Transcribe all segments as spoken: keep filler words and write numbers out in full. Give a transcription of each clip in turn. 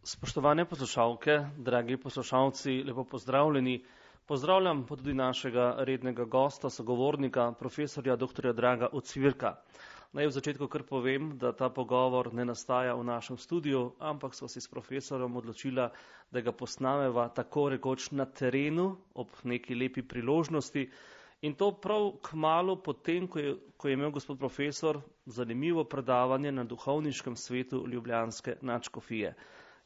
Spoštovane poslušalke, dragi poslušalci, lepo pozdravljeni. Pozdravljam pa tudi našega rednega gosta, sogovornika, profesorja doktorja Draga Ocvirka. Naj v začetku kar povem, da ta pogovor ne nastaja v našem studiu, ampak sva si s profesorjem odločila, da ga posnameva tako rekoč na terenu, ob neki lepi priložnosti. In to prav kmalu potem, ko je, ko je imel gospod profesor zanimivo predavanje na duhovniškem svetu ljubljanske nadškofije.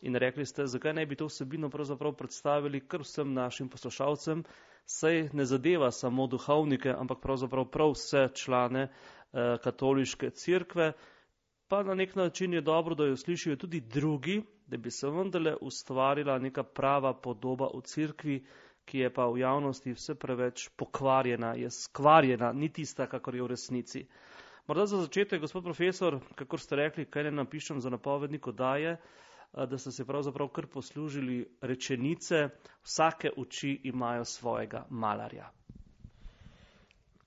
In rekli ste, zakaj ne bi to vsebino pravzaprav predstavili kar vsem našim poslušalcem, saj ne zadeva samo duhovnike, ampak pravzaprav prav vse člane eh, katoliške cerkve, pa na nek način je dobro, da jo slišijo tudi drugi, da bi se vendarle ustvarila neka prava podoba v cerkvi, ki je pa v javnosti vse preveč pokvarjena, je skvarjena, ni tista, kakor je v resnici. Morda za začetek, gospod profesor, kakor ste rekli, kaj ne napišem za napovednik oddaje, da ste se pravzaprav kar poslužili rečenice, vsake oči imajo svojega malarja.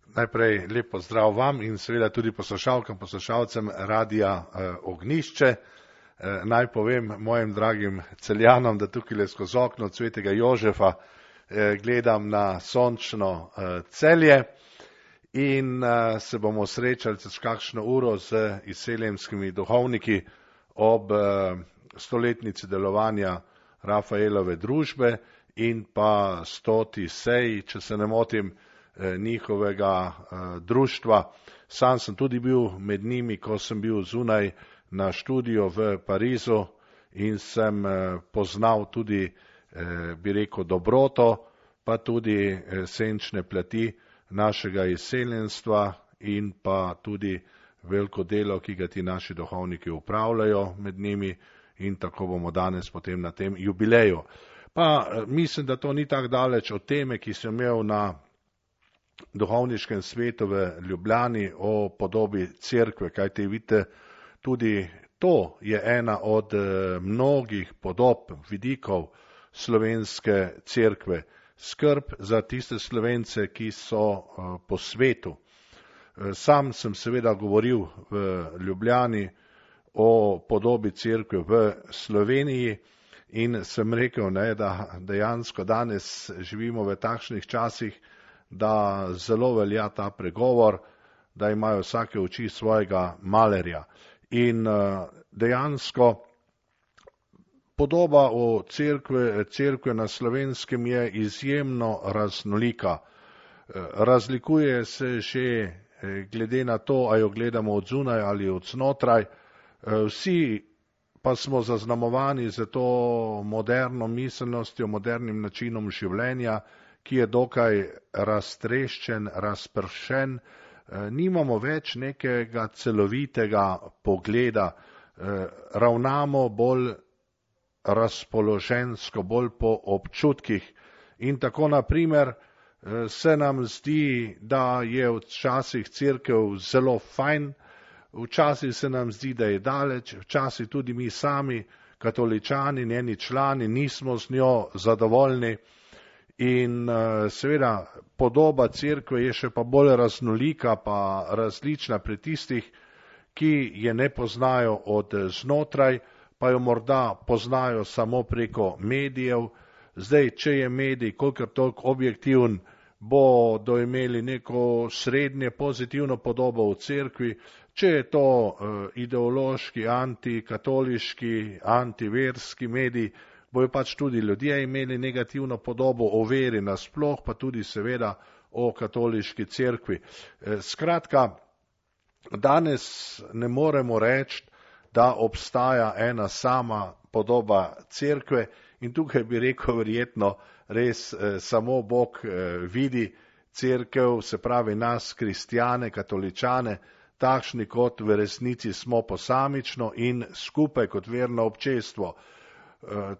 Najprej lep pozdrav vam in seveda tudi poslušalkam, poslušalcem Radia eh, Ognjišče. Eh, naj povem mojim dragim Celjanom, da tukaj skozi okno Svetega Jožefa eh, gledam na sončno eh, Celje in eh, se bomo srečali čez kakšno uro z izseljenskimi duhovniki ob eh, stoletnici delovanja Rafaelove družbe in pa stoti seji, če se ne motim, njihovega društva. Sam sem tudi bil med njimi, ko sem bil zunaj na študiju v Parizu in sem poznal tudi, bi rekel, dobroto, pa tudi senčne plati našega izseljenstva in pa tudi veliko delo, ki ga ti naši duhovniki upravljajo med njimi, in tako bomo danes potem na tem jubileju. Pa mislim, da to ni tako daleč od teme, ki sem imel na duhovniškem svetu v Ljubljani o podobi cerkve, kajte vidite, tudi to je ena od mnogih podob, vidikov slovenske cerkve. Skrb za tiste Slovence, ki so po svetu. Sam sem seveda govoril v Ljubljani o podobi cerkve v Sloveniji in sem rekel, ne, da dejansko danes živimo v takšnih časih, da zelo velja ta pregovor, da imajo vsake oči svojega malerja. In dejansko podoba o cerkve, cerkve na Slovenskem je izjemno raznolika. Razlikuje se že glede na to, a jo gledamo od zunaj ali od znotraj. Vsi pa smo zaznamovani za to moderno miselnostjo, modernim načinom življenja, ki je dokaj raztreščen, razpršen. Nimamo več nekega celovitega pogleda, ravnamo bolj razpoložensko, bolj po občutkih. In tako naprimer se nam zdi, da je včasih cerkev zelo fajn, včasih se nam zdi, da je daleč, včasih tudi mi sami, katoličani, njeni člani, nismo z njo zadovoljni in seveda podoba cerkve je še pa bolj raznolika, pa različna pri tistih, ki je ne poznajo od znotraj, pa jo morda poznajo samo preko medijev. Zdaj, če je medij kolikor toliko objektiven, bodo imeli neko srednje pozitivno podobo v cerkvi, če je to ideološki, antikatoliški, antiverski medij, bojo pač tudi ljudje imeli negativno podobo o veri nasploh, pa tudi seveda o katoliški cerkvi. Skratka, danes ne moremo reči, da obstaja ena sama podoba cerkve in tukaj bi rekel verjetno res samo Bog vidi cerkev, se pravi nas, kristjane, katoličane, takšni kot v resnici smo posamično in skupaj kot verno občestvo.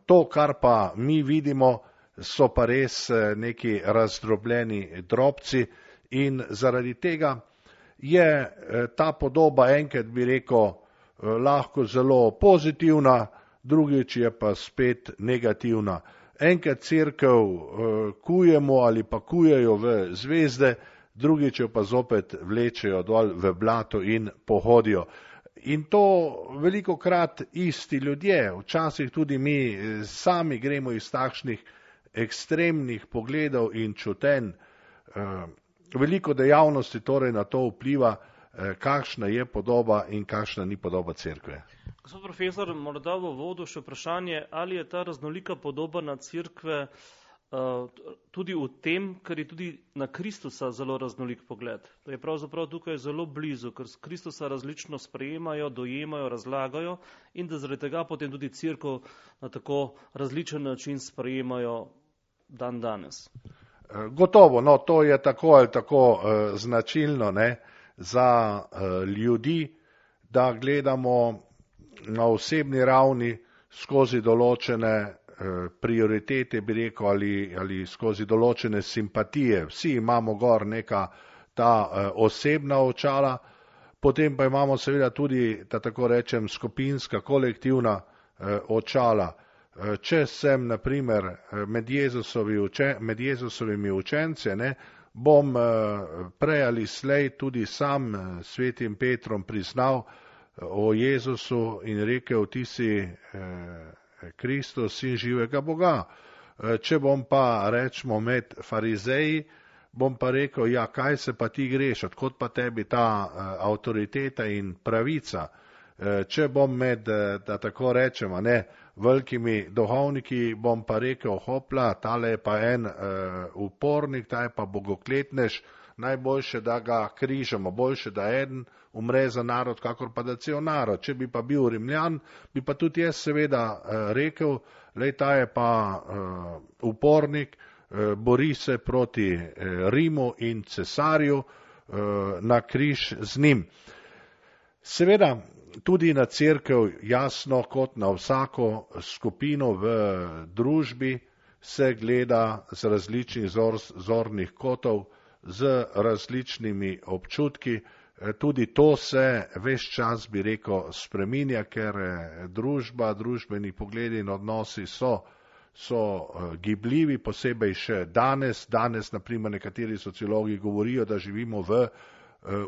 To, kar pa mi vidimo, so pa res neki razdrobljeni drobci in zaradi tega je ta podoba enkrat, bi rekel, lahko zelo pozitivna, drugič je pa spet negativna. Enkrat cerkev kujemo ali pa kujejo v zvezde, drugič jo pa zopet vlečejo dol v blato in pohodijo. In to veliko krat isti ljudje, včasih tudi mi sami gremo iz takšnih ekstremnih pogledov in čutenj. Veliko dejavnosti torej na to vpliva, kakšna je podoba in kakšna ni podoba cerkve. Gospod profesor, morda v uvodu še vprašanje, ali je ta raznolika podoba na cerkve tudi v tem, ker je tudi na Kristusa zelo raznolik pogled. To je pravzaprav tukaj zelo blizu, ker Kristusa različno sprejemajo, dojemajo, razlagajo in da zaradi tega potem tudi cerkev na tako različen način sprejemajo dan danes. Gotovo, no, to je tako ali tako uh, značilno, ne, za uh, ljudi, da gledamo na osebni ravni skozi določene prioritete, bi rekel, ali, ali skozi določene simpatije. Vsi imamo gor neka ta uh, osebna očala, potem pa imamo seveda tudi, da tako rečem, skupinska, kolektivna uh, očala. Uh, če sem, na primer, med, Jezusovi uče, med Jezusovimi učence, ne, bom uh, prej ali slej tudi sam uh, svetim Petrom priznal uh, o Jezusu in rekel, ti si uh, Kristus, sin živega Boga. Če bom pa, rečemo, med farizeji, bom pa rekel, ja, kaj se pa ti greš, odkot pa tebi ta uh, avtoriteta in pravica. Uh, če bom med, da tako rečemo, ne, velikimi duhovniki, bom pa rekel, hopla, tale je pa en uh, upornik, ta je pa bogokletnež, najboljše, da ga križamo, boljše, da eden umre za narod, kakor pa da cel narod. Če bi pa bil Rimljan, bi pa tudi jaz seveda rekel, lej, ta je pa uh, upornik, uh, bori se proti uh, Rimu in cesarju, uh, na križ z njim. Seveda tudi na cerkev, jasno, kot na vsako skupino v družbi, se gleda z različnih zor, zornih kotov, z različnimi občutki. Tudi to se ves čas, bi rekel, spreminja, ker družba, družbeni pogledi in odnosi so, so gibljivi, posebej še danes. Danes, naprimer, nekateri sociologi govorijo, da živimo v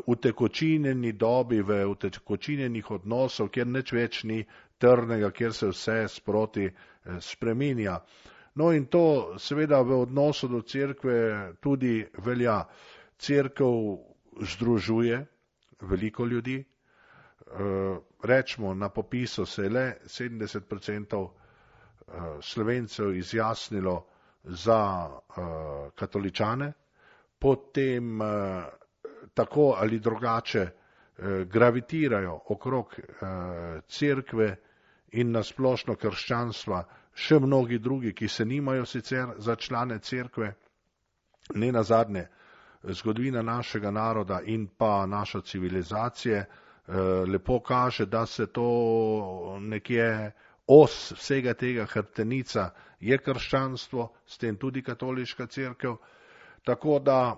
utekočinjeni dobi, v utekočinjenih odnosov, kjer nič več ni trdnega, kjer se vse sproti spreminja. No in to seveda v odnosu do cerkve tudi velja. Cerkev združuje veliko ljudi. Rečemo, na popisu se je le sedemdeset odstotkov Slovencev izjasnilo za katoličane, potem tako ali drugače gravitirajo okrog cerkve in nasplošno krščanstva še mnogi drugi, ki se nimajo sicer za člane cerkve. Ne nazadnje, zgodovina našega naroda in pa naša civilizacije lepo kaže, da se to nekje os vsega tega hrbtenica je krščanstvo, s tem tudi katoliška cerkev. Tako da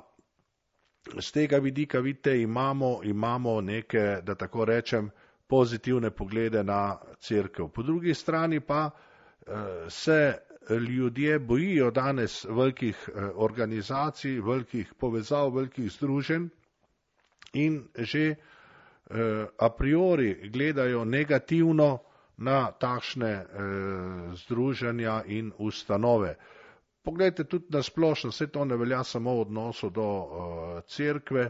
z tega vidika, vidite, imamo, imamo neke, da tako rečem, pozitivne poglede na cerkev. Po drugi strani pa se ljudje bojijo danes velikih organizacij, velikih povezav, velikih združenj in že a priori gledajo negativno na takšne združenja in ustanove. Poglejte, tudi na splošno, vse to ne velja samo v odnosu do cerkve,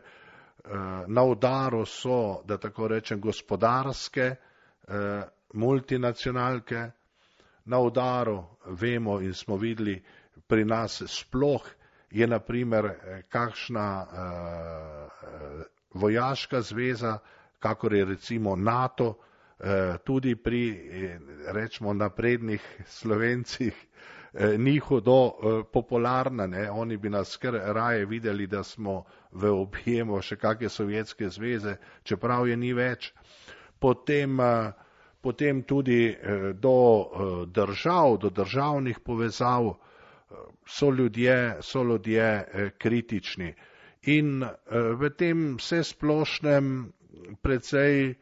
na udaru so, da tako rečem, gospodarske multinacionalke. Na udaru vemo in smo videli pri nas sploh je na primer kakšna uh, vojaška zveza, kakor je recimo NATO, uh, tudi pri, rečemo, naprednih Slovencih uh, ni hudo uh, popularna, ne? Oni bi nas kar raje videli, da smo v objemu še kakšne sovjetske zveze, čeprav je ni več. Potem uh, Potem tudi do držav, do državnih povezav so ljudje, so ljudje kritični. In v tem vsesplošnem, precej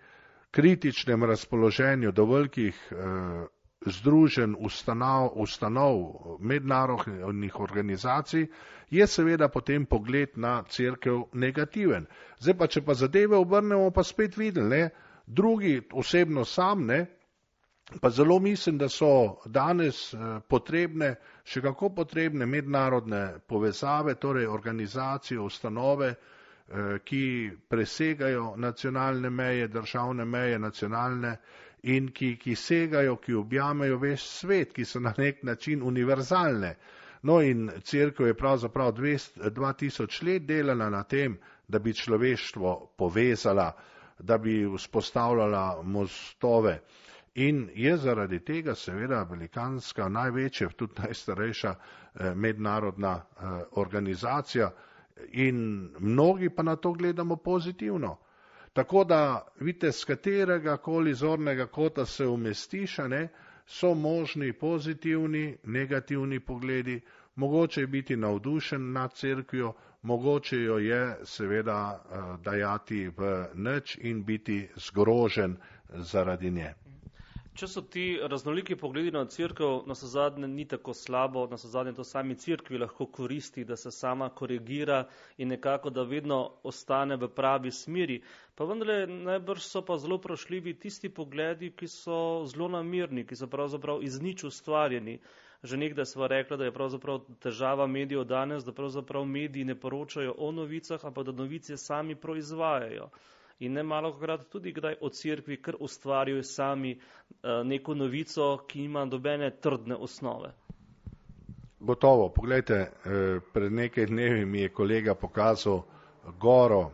kritičnem razpoloženju do velikih združenj, ustanov, ustanov, mednarodnih organizacij, je seveda potem pogled na cerkev negativen. Zdaj pa, če pa zadeve obrnemo, pa spet videli, ne? Drugi, osebno sam, ne, pa zelo mislim, da so danes potrebne, še kako potrebne mednarodne povezave, torej organizacije, ustanove, ki presegajo nacionalne meje, državne meje, nacionalne in ki, ki segajo, ki objamejo ves svet, ki so na nek način univerzalne. No in cerkev je pravzaprav dva tisoč let delala na tem, da bi človeštvo povezala, da bi vzpostavljala mostove. In je zaradi tega seveda velikanska, največja, tudi najstarejša mednarodna organizacija in mnogi pa na to gledamo pozitivno. Tako da, vidite, z katerega koli zornega kota se umestiš, ne, so možni pozitivni, negativni pogledi, mogoče je biti navdušen nad cerkvijo, mogoče jo je seveda dajati v nič in biti zgrožen zaradi nje. Če so ti raznoliki pogledi na cerkev, navsezadnje ni tako slabo, navsezadnje to sami cerkvi lahko koristi, da se sama korigira in nekako, da vedno ostane v pravi smeri. Pa vendarle najbrž so pa zelo vprašljivi tisti pogledi, ki so zelo namirni, ki so pravzaprav iz nič ustvarjeni. Že nekdaj sva rekla, da je pravzaprav težava medijev danes, da pravzaprav mediji ne poročajo o novicah, ampak da novice sami proizvajajo. In ne malokrat tudi kdaj o cerkvi, ker ustvarjajo sami neko novico, ki ima dobene trdne osnove. Gotovo, poglejte, pred nekaj dnevi mi je kolega pokazal goro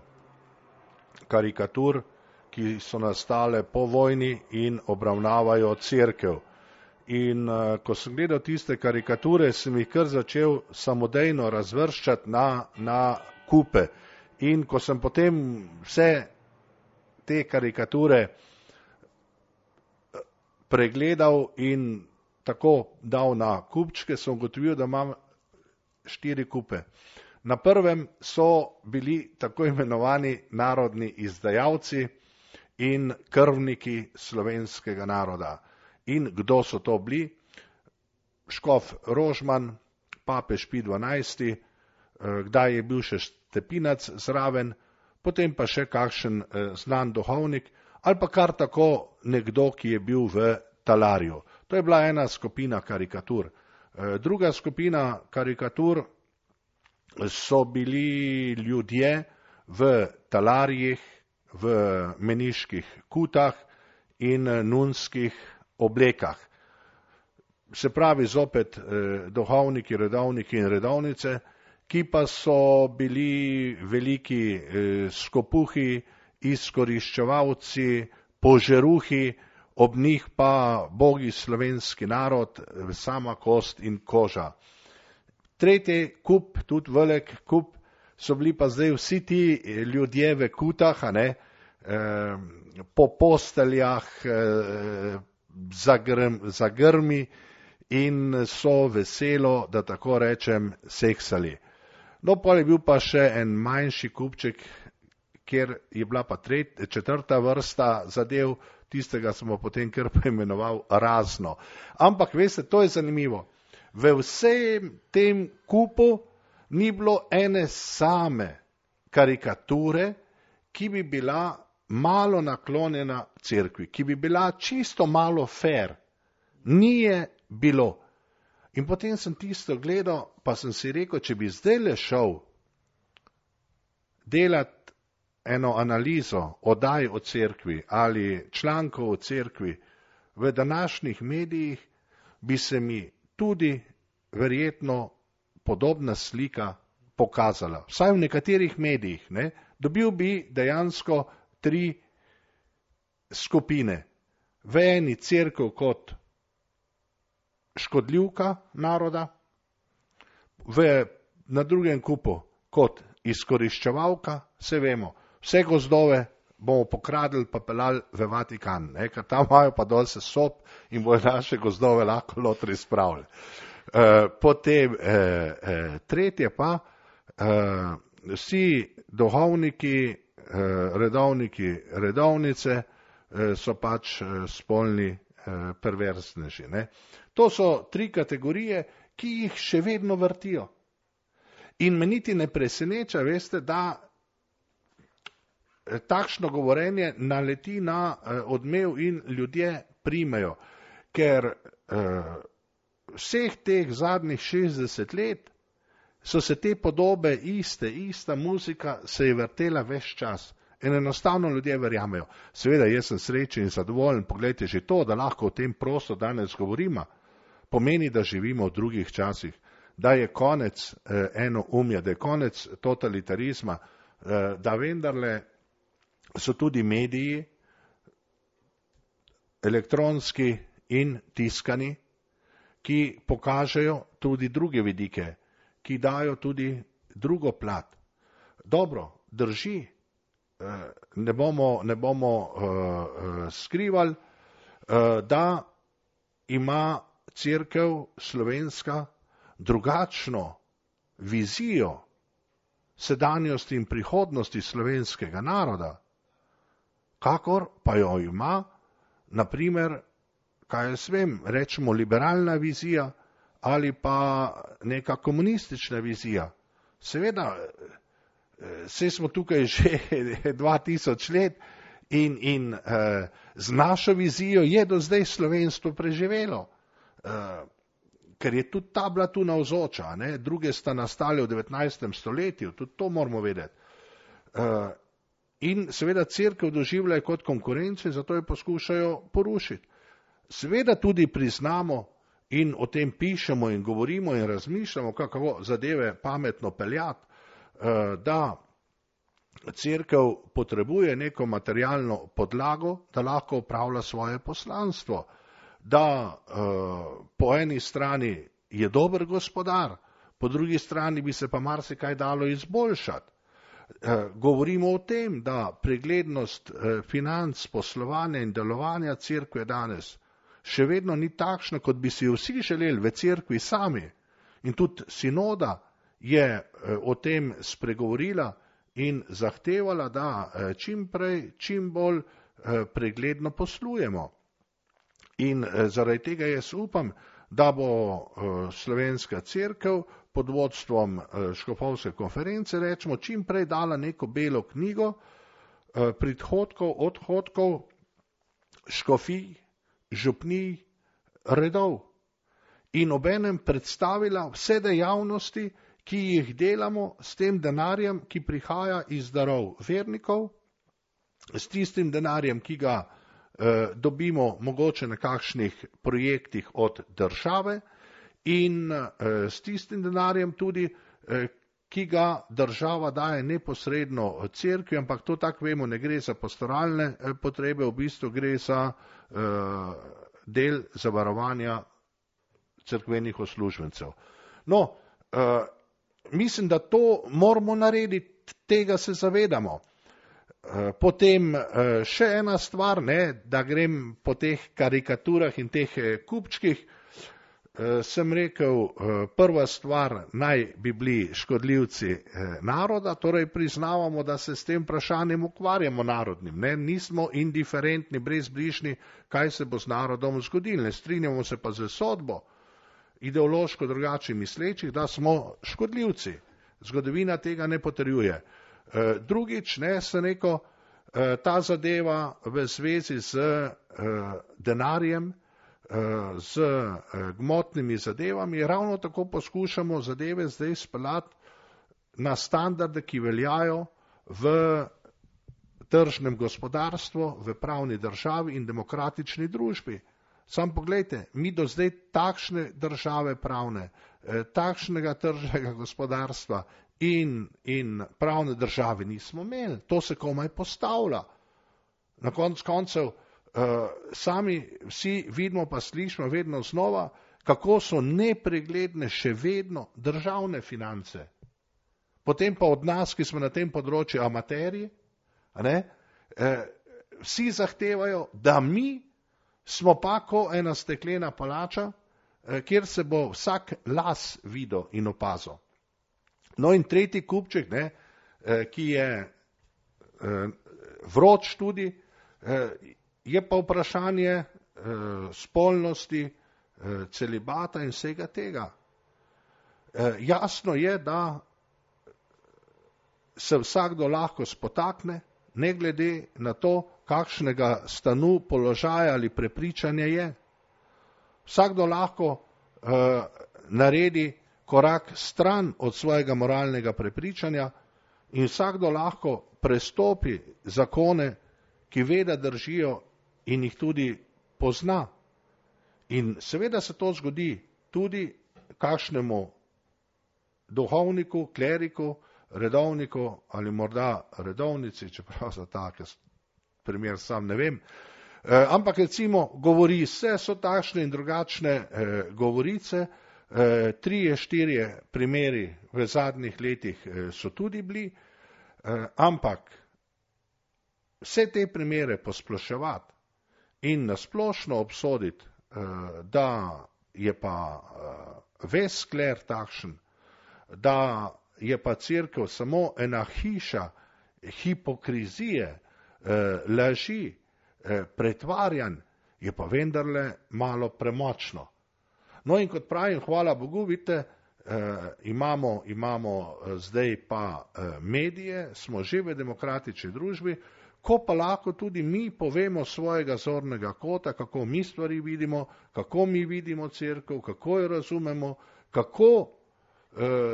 karikatur, ki so nastale po vojni in obravnavajo cerkev. In ko sem gledal tiste karikature, sem jih kar začel samodejno razvrščati na, na kupe. In ko sem potem vse te karikature pregledal in tako dal na kupčke, sem ugotovil, da imam štiri kupe. Na prvem so bili tako imenovani narodni izdajalci in krvniki slovenskega naroda. In kdo so to bili? Škof Rožman, papež Pij dvanajsti, kdaj je bil še Stepinac zraven, potem pa še kakšen znan duhovnik ali pa kar tako nekdo, ki je bil v talarju. To je bila ena skupina karikatur. Druga skupina karikatur so bili ljudje v talarjih, v meniških kutah in nunskih oblekah. Se pravi zopet duhovniki, redovniki in redovnice, ki pa so bili veliki skopuhi, izkoriščevalci, požeruhi, ob njih pa bogi slovenski narod, sama kost in koža. Tretji kup, tudi velik kup, so bili pa zdaj vsi ti ljudje v kutah, a ne, po posteljah, zagrmi in so veselo, da tako rečem, seksali. No, pa je bil pa še en manjši kupček, kjer je bila pa tret, četrta vrsta zadev, tistega smo potem kar poimenoval razno. Ampak, veste, to je zanimivo. V vsem tem kupu ni bilo ene same karikature, ki bi bila malo naklonjena cerkvi, ki bi bila čisto malo fair. Ni je bilo. In potem sem tisto gledal, pa sem si rekel, če bi zdaj le šel delati eno analizo oddaj o cerkvi ali člankov o cerkvi v današnjih medijih, bi se mi tudi verjetno podobna slika pokazala. Vsaj v nekaterih medijih, ne? Dobil bi dejansko tri skupine. V eni cerkev kot škodljivka naroda, v, na drugem kupu kot izkoriščevalka, vse vemo, vse gozdove bomo pokradili pa pelali v Vatikan, ne, ker tam imajo pa dol se sob in bojo naše gozdove lahko lotri spravili. E, potem e, e, tretje pa, e, vsi duhovniki, e, redovniki, redovnice e, so pač e, spolni e, perverzneži. Ne. To so tri kategorije, ki jih še vedno vrtijo. In me niti ne preseneča, veste, da takšno govorenje naleti na odmev in ljudje primejo, ker vseh teh zadnjih šestdeset let so se te podobe iste, ista muzika se je vrtela ves čas. In enostavno ljudje verjamejo. Seveda, jaz sem srečen in zadovoljen, poglejte, že to, da lahko o tem prosto danes govorimo, pomeni, da živimo v drugih časih, da je konec eh, enoumja, da je konec totalitarizma, eh, da vendarle so tudi mediji, elektronski in tiskani, ki pokažejo tudi druge vidike, ki dajo tudi drugo plat. Dobro, drži, ne bomo, ne bomo uh, skrivali, uh, da ima Cerkev slovenska drugačno vizijo sedanjosti in prihodnosti slovenskega naroda, kakor pa jo ima, naprimer, kaj jaz vem, rečemo liberalna vizija ali pa neka komunistična vizija. Seveda, saj smo tukaj že dva tisoč let in, in eh, z našo vizijo je do zdaj slovenstvo preživelo, eh, ker je tudi ta bila tu navzoča, ne? Druge sta nastale v devetnajstem stoletju, tudi to moramo vedeti. Eh, in seveda Cerkev doživljajo kot konkurenco in zato jo poskušajo porušiti. Seveda tudi priznamo in o tem pišemo in govorimo in razmišljamo, kako zadeve pametno peljati, da Cerkev potrebuje neko materialno podlago, da lahko upravlja svoje poslanstvo, da po eni strani je dober gospodar, po drugi strani bi se pa marsikaj dalo izboljšati. Govorimo o tem, da preglednost financ, poslovanja in delovanja Cerkve danes še vedno ni takšna, kot bi si vsi želeli v Cerkvi sami. In tudi sinoda je o tem spregovorila in zahtevala, da čim prej, čim bolj pregledno poslujemo. In zaradi tega jaz upam, da bo Slovenska cerkev pod vodstvom škofovske konference, rečemo, čim prej dala neko belo knjigo prihodkov, odhodkov, škofij, župnij, redov in obenem predstavila vse dejavnosti, ki jih delamo s tem denarjem, ki prihaja iz darov vernikov, s tistim denarjem, ki ga eh, dobimo mogoče na kakšnih projektih od države in eh, s tistim denarjem tudi, eh, ki ga država daje neposredno cerkvi, ampak to tako vemo, ne gre za pastoralne eh, potrebe, v bistvu gre za eh, del zavarovanja cerkvenih uslužbencev. No, eh, mislim, da to moramo narediti, tega se zavedamo. Potem še ena stvar, ne, da grem po teh karikaturah in teh kupčkih, sem rekel, prva stvar naj bi bili škodljivci naroda, torej priznavamo, da se s tem vprašanjem ukvarjamo narodnim, ne, nismo indiferentni, brezbrižni, kaj se bo z narodom zgodilo, ne strinjamo se pa z sodbo ideološko drugače mislečih, da smo škodljivci. Zgodovina tega ne potrjuje. Drugič, ne, se neko, ta zadeva v zvezi z denarjem, z gmotnimi zadevami, ravno tako poskušamo zadeve zdaj speljati na standarde, ki veljajo v tržnem gospodarstvu, v pravni državi in demokratični družbi. Sam pogledajte, mi do zdaj takšne države pravne, takšnega tržnega gospodarstva in, in pravne države nismo imeli. To se komaj postavlja. Na konc koncev sami vsi vidimo pa slišimo vedno znova, kako so nepregledne še vedno državne finance. Potem pa od nas, ki smo na tem področju amaterji, ne, vsi zahtevajo, da mi smo pa ko ena steklena palača, kjer se bo vsak las videl in opazil. No in tretji kupček, ne, ki je vroč tudi, je pa vprašanje spolnosti, celibata in vsega tega. Jasno je, da se vsakdo lahko spotakne ne glede na to, kakšnega stanu, položaja ali prepričanja je. Vsakdo lahko uh, naredi korak stran od svojega moralnega prepričanja in vsakdo lahko prestopi zakone, ki ve, da držijo in jih tudi pozna. In seveda se to zgodi tudi kakšnemu duhovniku, kleriku, redovniku ali morda redovnici, čeprav za tak primer sam ne vem. E, ampak recimo govori se, so takšne in drugačne e, govorice, e, trije, štirje primeri v zadnjih letih e, so tudi bili, e, ampak vse te primere posploševati in nasplošno obsoditi, e, da je pa e, ves skler takšen, da je pa cerkev samo ena hiša hipokrizije, eh, laži, eh, pretvarjanj, je pa vendarle malo premočno. No in kot pravim, hvala Bogu, vidite, eh, imamo, imamo zdaj pa eh, medije, smo že v demokratični družbi, ko pa lahko tudi mi povemo svojega zornega kota, kako mi stvari vidimo, kako mi vidimo cerkev, kako jo razumemo, kako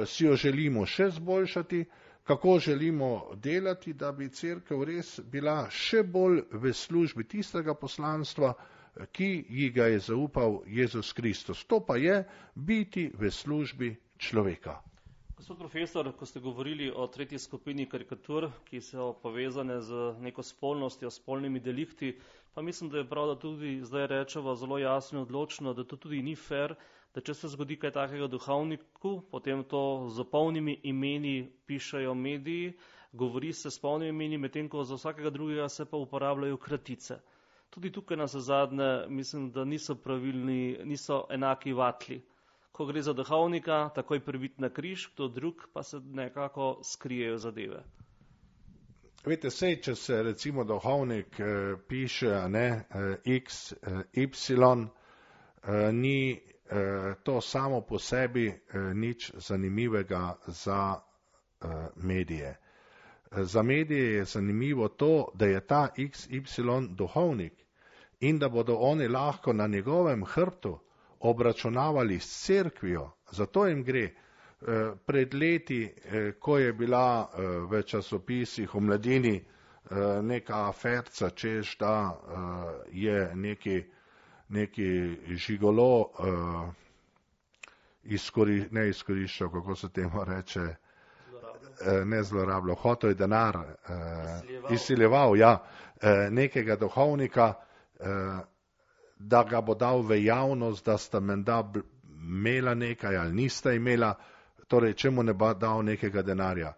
si jo želimo še zboljšati, kako želimo delati, da bi cerkev res bila še bolj v službi tistega poslanstva, ki ji ga je zaupal Jezus Kristus. To pa je biti v službi človeka. Gospod profesor, ko ste govorili o tretji skupini karikatur, ki so povezane z neko spolnostjo, spolnimi delikti, pa mislim, da je prav, da tudi zdaj rečemo zelo jasno in odločno, da to tudi ni fair, da če se zgodi kaj takega duhovniku, potem to z polnimi imeni pišajo mediji, govori se s polnimi imeni, medtem ko za vsakega drugega se pa uporabljajo kratice. Tudi tukaj na zadnje mislim, da niso pravilni, niso enaki vatli. Ko gre za duhovnika, takoj pribit na križ, kdo drug pa se nekako skrijejo zadeve. Veste, sej, če se recimo duhovnik eh, piše ne, eh, X, eh, Y, eh, ni to samo po sebi nič zanimivega za medije. Za medije je zanimivo to, da je ta X Y duhovnik in da bodo oni lahko na njegovem hrbtu obračunavali s cerkvijo. Zato jim gre. Pred leti, ko je bila v časopisih v Mladini neka aferca, češ da je neki neki žigolo uh, izkori, ne izkoriščal, kako se temu reče, uh, ne zlorabljal, hotel je denar, uh, izsiljeval, ja, uh, nekega duhovnika, uh, da ga bo dal v javnost, da sta menda imela nekaj ali nista imela, torej če mu ne bo dal nekega denarja.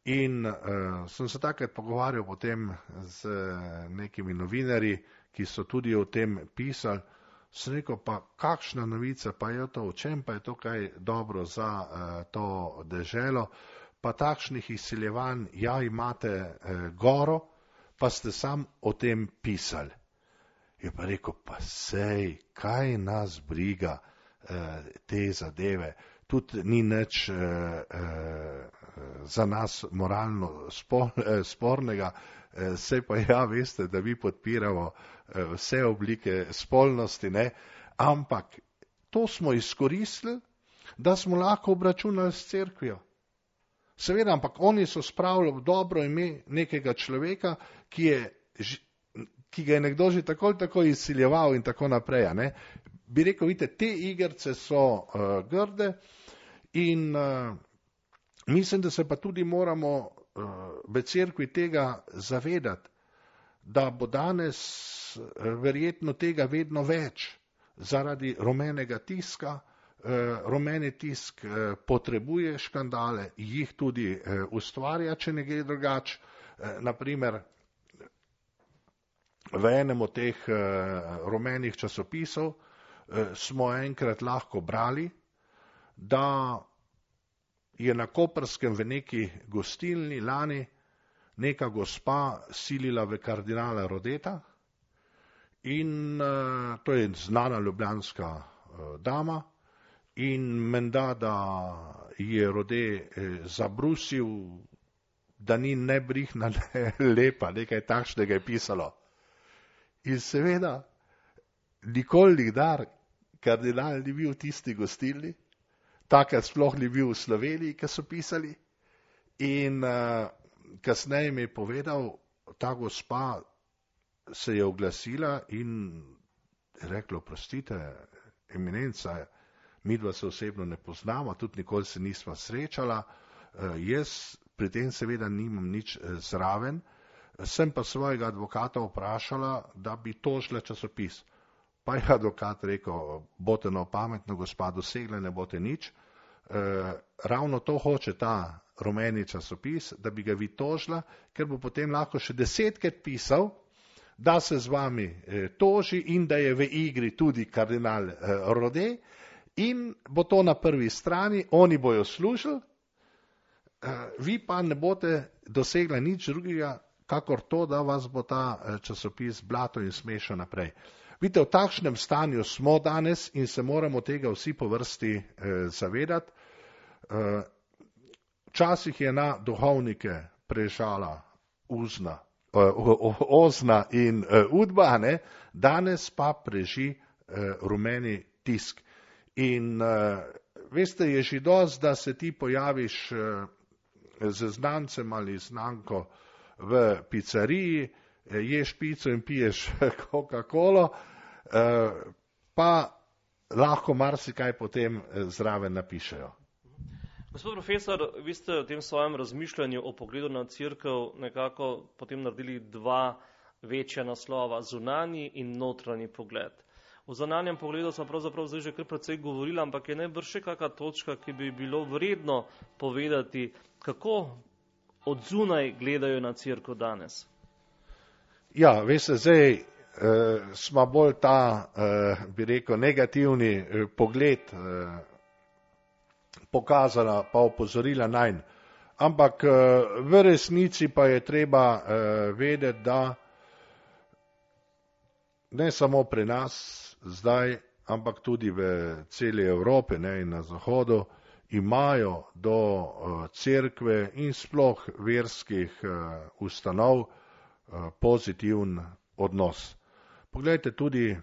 In uh, sem se takrat pogovarjal potem z nekimi novinarji, ki so tudi o tem pisali. Sem rekel, pa kakšna novica, pa je to, v čem pa je to kaj dobro za uh, to deželo, pa takšnih izsiljevanj, ja, imate uh, goro, pa ste sam o tem pisali. Je pa rekel, pa sej, kaj nas briga uh, te zadeve, tudi ni nič uh, uh, za nas moralno spor, uh, spornega, uh, sej pa ja, veste, da mi podpiramo vse oblike spolnosti, ne? Ampak to smo izkoristili, da smo lahko obračunali s cerkvijo. Seveda, ampak oni so spravili v dobro ime nekega človeka, ki, je, ki ga je nekdo že tako ali tako izsiljeval in tako naprej. Ne? Bi rekel, vidite, te igrice so uh, grde in uh, mislim, da se pa tudi moramo uh, v cerkvi tega zavedati, da bo danes verjetno tega vedno več zaradi rumenega tiska. Rumeni tisk potrebuje škandale, jih tudi ustvarja, če ne gre drugače. Naprimer, v enem od teh rumenih časopisov smo enkrat lahko brali, da je na Koprskem v neki gostilni lani neka gospa silila v kardinala Rodeta in uh, to je znana ljubljanska uh, dama in menda, da je Rode eh, zabrusil da ni ne brihna, ne lepa, nekaj takšnega je pisalo. In seveda, nikoli nikdar kardinal ni bil v tisti gostilni, takrat sploh ni bil v Sloveniji, ki so pisali. In uh, kasneje mi je povedal, ta gospa se je oglasila in je rekla, oprostite, eminenca, midva se osebno ne poznamo, tudi nikoli se nisva srečala, uh, jaz pri tem seveda nimam nič uh, zraven, sem pa svojega advokata vprašala, da bi tožila časopis. Pa je advokat rekel, bote no pametno, gospa, dosegla, ne bote nič. E, ravno to hoče ta rumeni časopis, da bi ga vi tožila, ker bo potem lahko še desetkrat pisal, da se z vami e, toži in da je v igri tudi kardinal e, Rode in bo to na prvi strani, oni bojo služili, e, vi pa ne bote dosegla nič drugega, kakor to, da vas bo ta časopis blato in smešal naprej. Vidite, v takšnem stanju smo danes in se moramo tega vsi po vrsti eh, zavedati. Včasih eh, je na duhovnike prežala uzna, eh, ozna in eh, udba, ne? Danes pa preži eh, rumeni tisk. In eh, veste, je že dosti, da se ti pojaviš eh, z znancem ali znanko v pizzeriji, ješ pico in piješ Coca-Colo, pa lahko marsikaj potem zraven napišejo. Gospod profesor, vi ste v tem svojem razmišljanju o pogledu na cerkev nekako potem naredili dva večja naslova, zunanji in notranji pogled. V zunanjem pogledu smo pravzaprav zdaj že kar precej govorili, ampak je najbrž še kakšna točka, ki bi bilo vredno povedati, kako od zunaj gledajo na cerkev danes. Ja, veste, zdaj eh, smo bolj ta, eh, bi rekel, negativni eh, pogled eh, pokazala, pa opozorila najn. Ampak eh, v resnici pa je treba eh, vedeti, da ne samo pri nas zdaj, ampak tudi v celi Evropi, ne, in na Zahodu, imajo do uh, cerkve in sploh verskih uh, ustanov uh, pozitiven odnos. Poglejte, tudi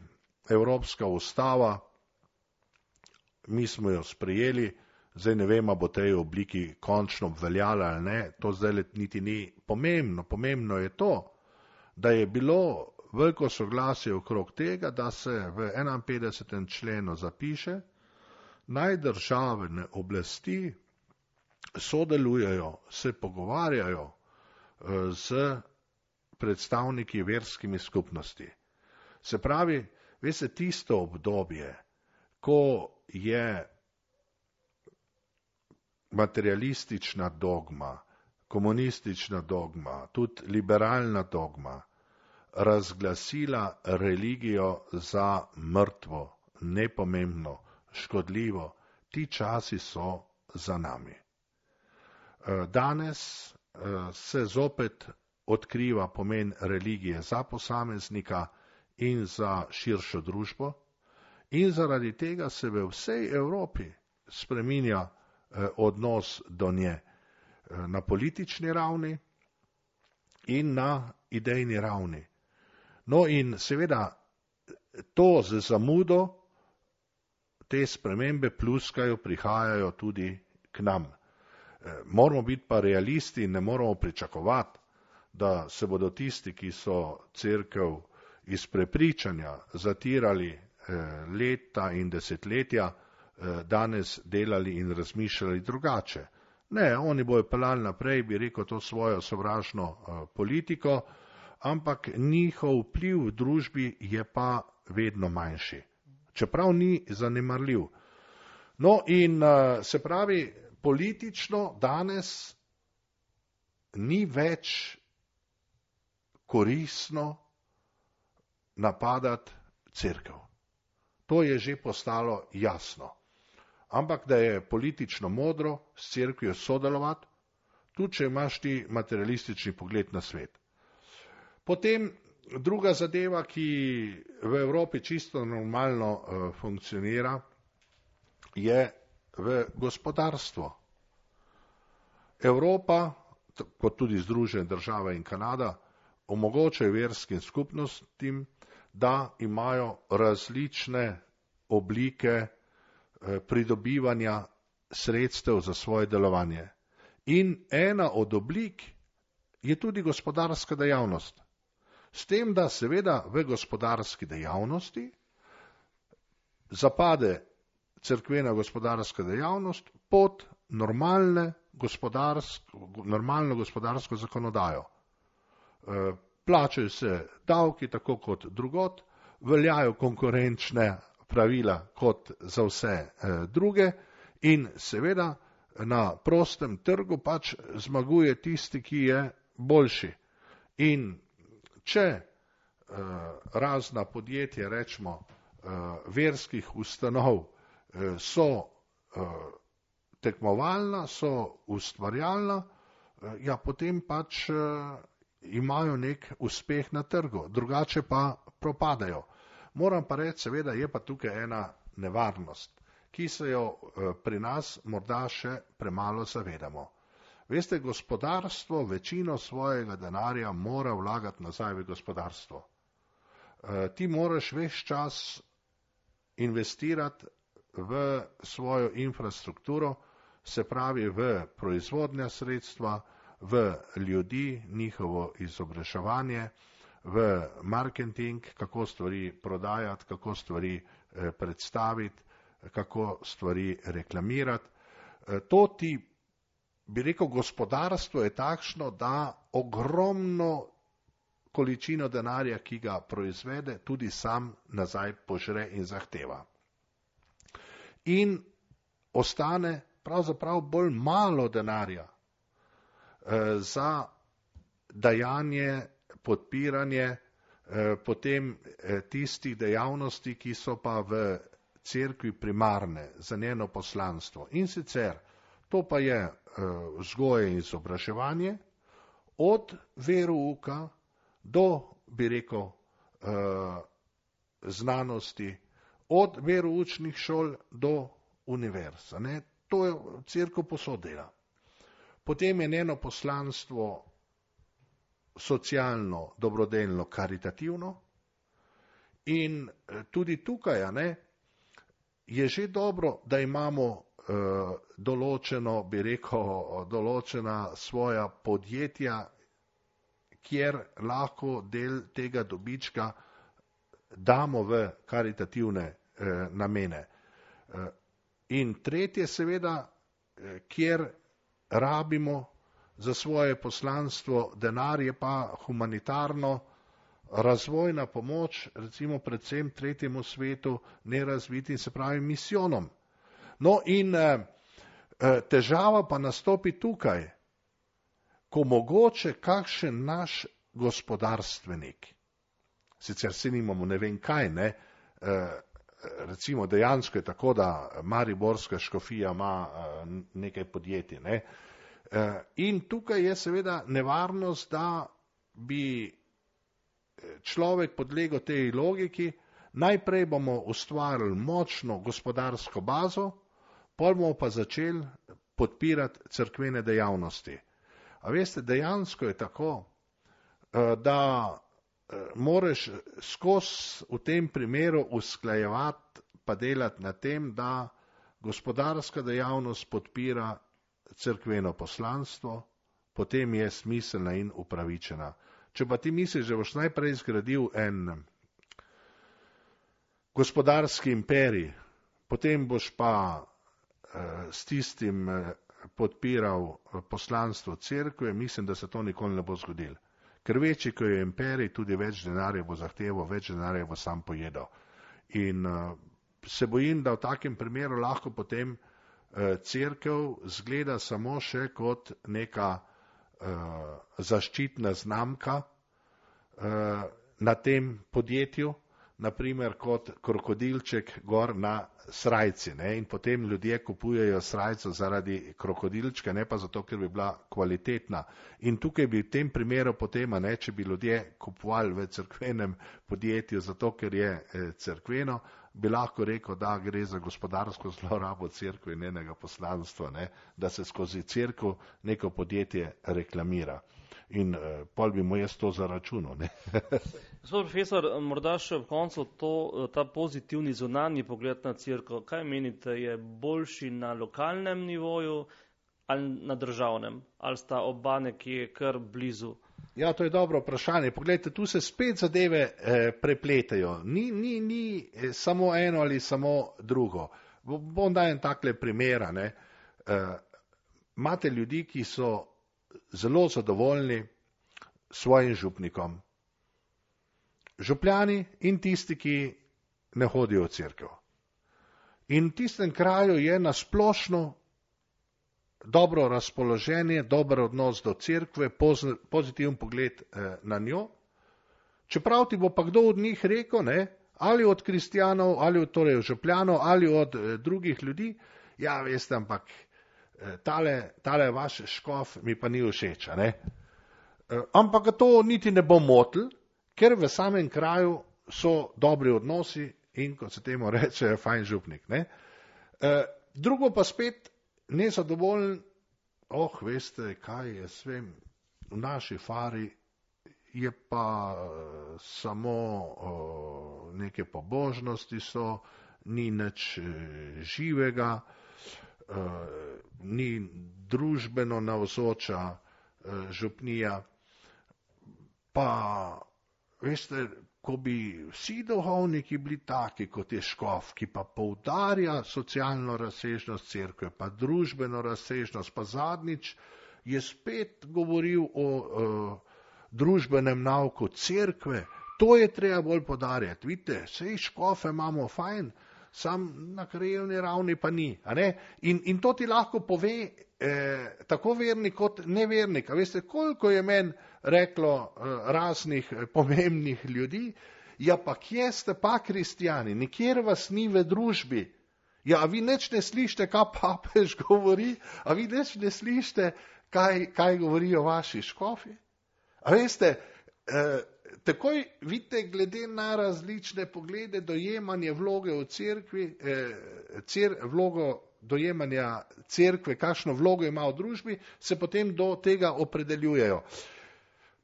Evropska ustava, mi smo jo sprejeli, zdaj ne vem, bo tej obliki končno obveljala ali ne, to zdaj niti ni pomembno. Pomembno je to, da je bilo veliko soglasje okrog tega, da se v enainpetdesetem členu zapiše, naj državne oblasti sodelujejo, se pogovarjajo z predstavniki verskimi skupnosti. Se pravi, veste, tisto obdobje, ko je materialistična dogma, komunistična dogma, tudi liberalna dogma, razglasila religijo za mrtvo, nepomembno, škodljivo, ti časi so za nami. Danes se zopet odkriva pomen religije za posameznika in za širšo družbo in zaradi tega se v vsej Evropi spreminja odnos do nje na politični ravni in na idejni ravni. No in seveda to z zamudo te spremembe pluskajo, prihajajo tudi k nam. Moramo biti pa realisti in ne moramo pričakovati, da se bodo tisti, ki so cerkev iz prepričanja zatirali leta in desetletja, danes delali in razmišljali drugače. Ne, oni bojo pelali naprej, bi rekel, to svojo sovražno politiko, ampak njihov vpliv v družbi je pa vedno manjši. Čeprav ni zanemarljiv. No in se pravi, politično danes ni več koristno napadati cerkev. To je že postalo jasno. Ampak da je politično modro s cerkvijo sodelovati, tudi če imaš ti materialistični pogled na svet. Potem druga zadeva, ki v Evropi čisto normalno uh, funkcionira, je v gospodarstvo. Evropa kot tudi Združene države in Kanada, omogočajo verskim skupnostim, da imajo različne oblike pridobivanja sredstev za svoje delovanje. In ena od oblik je tudi gospodarska dejavnost. S tem, da seveda v gospodarski dejavnosti zapade cerkvena gospodarska dejavnost pod normalne gospodarsko, normalno gospodarsko zakonodajo. Plačajo se davki tako kot drugot, veljajo konkurenčne pravila kot za vse druge in seveda na prostem trgu pač zmaguje tisti, ki je boljši. In če razna podjetja, rečemo, verskih ustanov so tekmovalna, so ustvarjalna, ja, potem pač imajo nek uspeh na trgu, drugače pa propadajo. Moram pa reči, seveda je pa tukaj ena nevarnost, ki se jo pri nas morda še premalo zavedamo. Veste, gospodarstvo večino svojega denarja mora vlagati nazaj v gospodarstvo. Ti moraš ves čas investirati v svojo infrastrukturo, se pravi v proizvodnja sredstva, v ljudi, njihovo izobraževanje, v marketing, kako stvari prodajati, kako stvari predstaviti, kako stvari reklamirati. To ti, bi rekel, gospodarstvo je takšno, da ogromno količino denarja, ki ga proizvede, tudi sam nazaj požre in zahteva. In ostane pravzaprav bolj malo denarja za dajanje, podpiranje potem tistih dejavnosti, ki so pa v cerkvi primarne za njeno poslanstvo. In sicer to pa je vzgoja in izobraževanje od verouka do, bi rekel, znanosti, od veroučnih šol do univerz. Ne? To je cerkev povsod dela. Potem je njeno poslanstvo socialno, dobrodelno, karitativno in tudi tukaj ne, je že dobro, da imamo uh, določeno, bi rekel, določena svoja podjetja, kjer lahko del tega dobička damo v karitativne uh, namene. Uh, in tretje seveda, uh, kjer rabimo za svoje poslanstvo denar, je pa humanitarno razvojna pomoč, recimo predvsem tretjemu svetu, nerazvitim, se pravi misijonom. No in eh, težava pa nastopi tukaj, ko mogoče kakšen naš gospodarstvenik, sicer se nimamo ne vem kaj, ne, eh, recimo dejansko je tako, da mariborska škofija ima eh, nekaj podjetij, ne, eh, in tukaj je seveda nevarnost, da bi človek podlegel tej logiki, najprej bomo ustvarili močno gospodarsko bazo, pol bomo pa začeli podpirati cerkvene dejavnosti. A veste, dejansko je tako, da moraš skozi v tem primeru usklajevati pa delati na tem, da gospodarska dejavnost podpira cerkveno poslanstvo, potem je smiselna in upravičena. Če pa ti misliš, da boš najprej zgradil en gospodarski imperij, potem boš pa eh, s tistim eh, podpiral poslanstvo cerkve, mislim, da se to nikoli ne bo zgodilo. Ker večji, ko je imperij, tudi več denarja bo zahteval, več denarja bo sam pojedel. In eh, se bojim, da v takem primeru lahko potem eh, cerkev zgleda samo še kot neka zaščitna znamka na tem podjetju, naprimer kot krokodilček gor na srajci, ne, in potem ljudje kupujejo srajco zaradi krokodilčka, ne pa zato, ker bi bila kvalitetna. In tukaj bi v tem primeru potem, ne, če bi ljudje kupovali v cerkvenem podjetju zato, ker je eh, cerkveno, bi lahko rekel, da gre za gospodarsko zlorabo cerkve in njenega poslanstva, ne, da se skozi cerkev neko podjetje reklamira. In uh, pol bi mu jaz to zaračunal. Gospod profesor, morda še v koncu to, ta pozitivni zunanji pogled na cerkev. Kaj menite, je boljši na lokalnem nivoju ali na državnem? Ali sta oba nekje kar blizu? Ja, to je dobro vprašanje. Poglejte, tu se spet zadeve eh, prepletajo. Ni, ni, ni eh, samo eno ali samo drugo. Bom dajem takle primera. Ne. Eh, imate ljudi, ki so zelo zadovoljni s svojim župnikom. Župljani in tisti, ki ne hodijo v cerkev. In v tistem kraju je nasplošno dobro razpoloženje, dober odnos do cerkve, pozitiven pogled eh, na njo. Čeprav ti bo pa kdo od njih rekel, ne, ali od kristjanov, ali od torej župljanov, ali od eh, drugih ljudi, ja, veste, ampak Tale, tale vaš škof mi pa ni všeč. Ne? Ampak to niti ne bo motil, ker v samem kraju so dobri odnosi in, kot se temu reče, fajn župnik. Ne? Drugo pa spet nezadovoljen, oh, veste, kaj jaz vem, v naši fari je pa samo o, neke pobožnosti so, ni nič živega, Uh, ni družbeno navzoča uh, župnija, pa veste, ko bi vsi duhovniki bili taki, kot je škof, ki pa poudarja socialno razsežnost cerkve, pa družbeno razsežnost, pa zadnjič je spet govoril o uh, družbenem nauku cerkve, to je treba bolj podarjati. Vidite, sej škofe imamo fajn, sam na krajevni ravni pa ni. A ne? In, in to ti lahko pove eh, tako vernik kot nevernik. A veste, koliko je meni reklo eh, raznih eh, pomembnih ljudi, ja pa kje ste pa kristjani, nikjer vas ni v družbi. Ja, a vi nič ne slišite, kaj papež govori, a vi nič ne slišite, kaj, kaj govorijo vaši škofi. A veste, eh, takoj vidite, glede na različne poglede, dojemanje vloge v cerkvi, eh, cer, vlogo dojemanja cerkve, kakšno vlogo ima v družbi, se potem do tega opredeljujejo.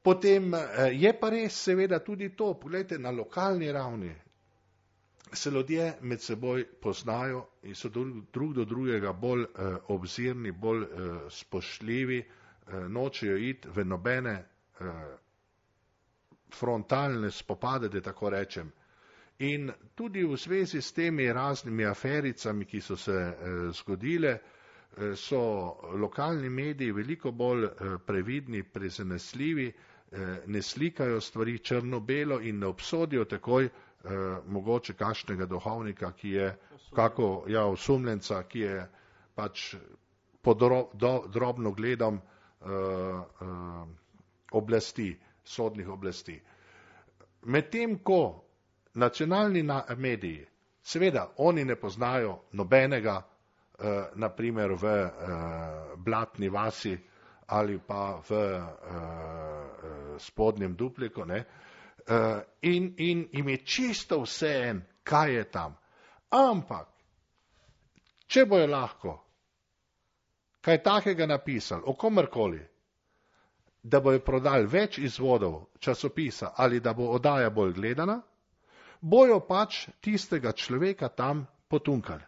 Potem eh, je pa res seveda tudi to, pogledajte, na lokalni ravni se ljudje med seboj poznajo in so drug, drug do drugega bolj eh, obzirni, bolj eh, spoštljivi, eh, nočejo iti v nobene eh, frontalne spopade, da tako rečem. In tudi v zvezi s temi raznimi afericami, ki so se eh, zgodile, eh, so lokalni mediji veliko bolj eh, previdni, prezanesljivi, eh, ne slikajo stvari črno-belo in ne obsodijo takoj eh, mogoče kakšnega duhovnika, ki je, kako, ja, osumljenca, ki je pač pod dro, do, drobno gledom eh, eh, oblasti, sodnih oblasti. Medtem ko nacionalni mediji, seveda, oni ne poznajo nobenega, eh, naprimer v eh, Blatni vasi ali pa v eh, Spodnjem Dupliku, ne, eh, in, in im je čisto vseeno, kaj je tam. Ampak, če bojo lahko kaj takega napisali o komerkoli, da bojo prodali več izvodov časopisa ali da bo oddaja bolj gledana, bojo pač tistega človeka tam potunkali.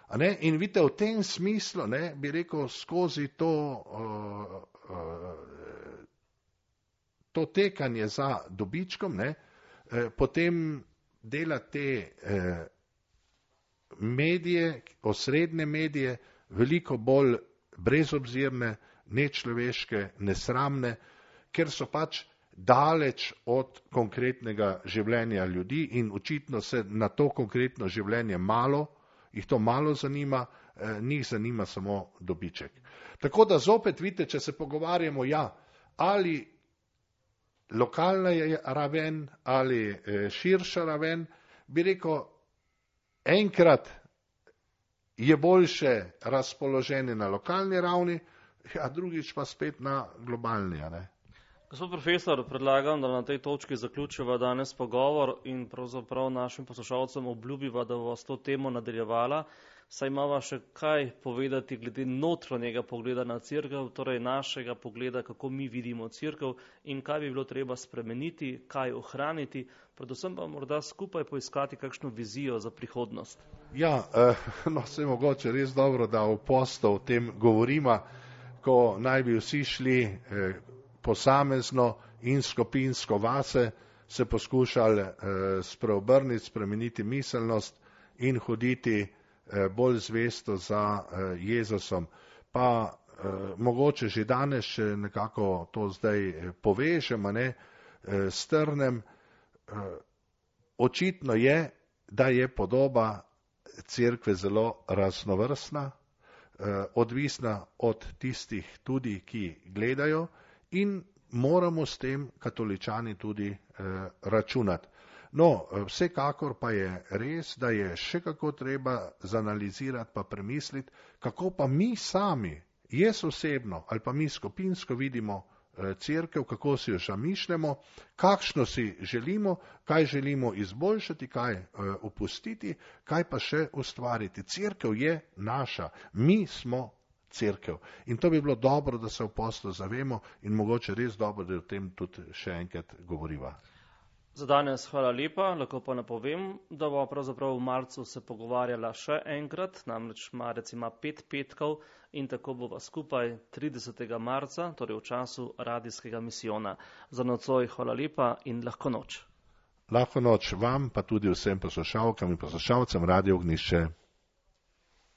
A ne? In vidite, v tem smislu, ne, bi rekel, skozi to, uh, uh, to tekanje za dobičkom, ne, eh, potem dela te eh, medije, osrednje medije, veliko bolj brezobzirne, nečloveške, nesramne, ker so pač daleč od konkretnega življenja ljudi in očitno se na to konkretno življenje malo, jih to malo zanima, eh, njih zanima samo dobiček. Tako da zopet vidite, če se pogovarjamo, ja, ali lokalna je raven ali širša raven, bi rekel, enkrat je boljše razpoloženje na lokalni ravni, a drugič pa spet na globalni. Ne? Gospod profesor, predlagam, da na tej točki zaključiva danes pogovor in pravzaprav našim poslušalcem obljubiva, da bo s to temo nadaljevala, saj imava še kaj povedati glede notranjega pogleda na cerkev, torej našega pogleda, kako mi vidimo cerkev in kaj bi bilo treba spremeniti, kaj ohraniti, predvsem pa morda skupaj poiskati kakšno vizijo za prihodnost. Ja, no, se je mogoče res dobro, da v postu o tem govorimo, ko naj bi vsi šli posamezno in skupinsko vase, se poskušali spreobrniti, spremeniti miselnost in hoditi bolj zvesto za Jezusom. Pa mogoče že danes še nekako to zdaj povežemo, ne, strnem. Očitno je, da je podoba cerkve zelo raznovrstna, odvisna od tistih tudi, ki gledajo, in moramo s tem katoličani tudi računati. No, vsekakor pa je res, da je še kako treba zanalizirati pa premisliti, kako pa mi sami, jaz osebno ali pa mi skupinsko vidimo cerkev, kako si jo zamišljamo, kakšno si želimo, kaj želimo izboljšati, kaj opustiti, kaj pa še ustvariti. Cerkev je naša, mi smo cerkev. In to bi bilo dobro, da se v poslu zavemo in mogoče res dobro, da o tem tudi še enkrat govoriva. Za danes hvala lepa, lahko pa napovem, da bo pravzaprav v marcu se pogovarjala še enkrat, namreč marec ima pet petkov in tako bova skupaj tridesetega marca, torej v času radijskega misijona. Za nocoj hvala lepa in lahko noč. Lahko noč vam, pa tudi vsem poslušalkam in poslušalcem Radio Ognjišče.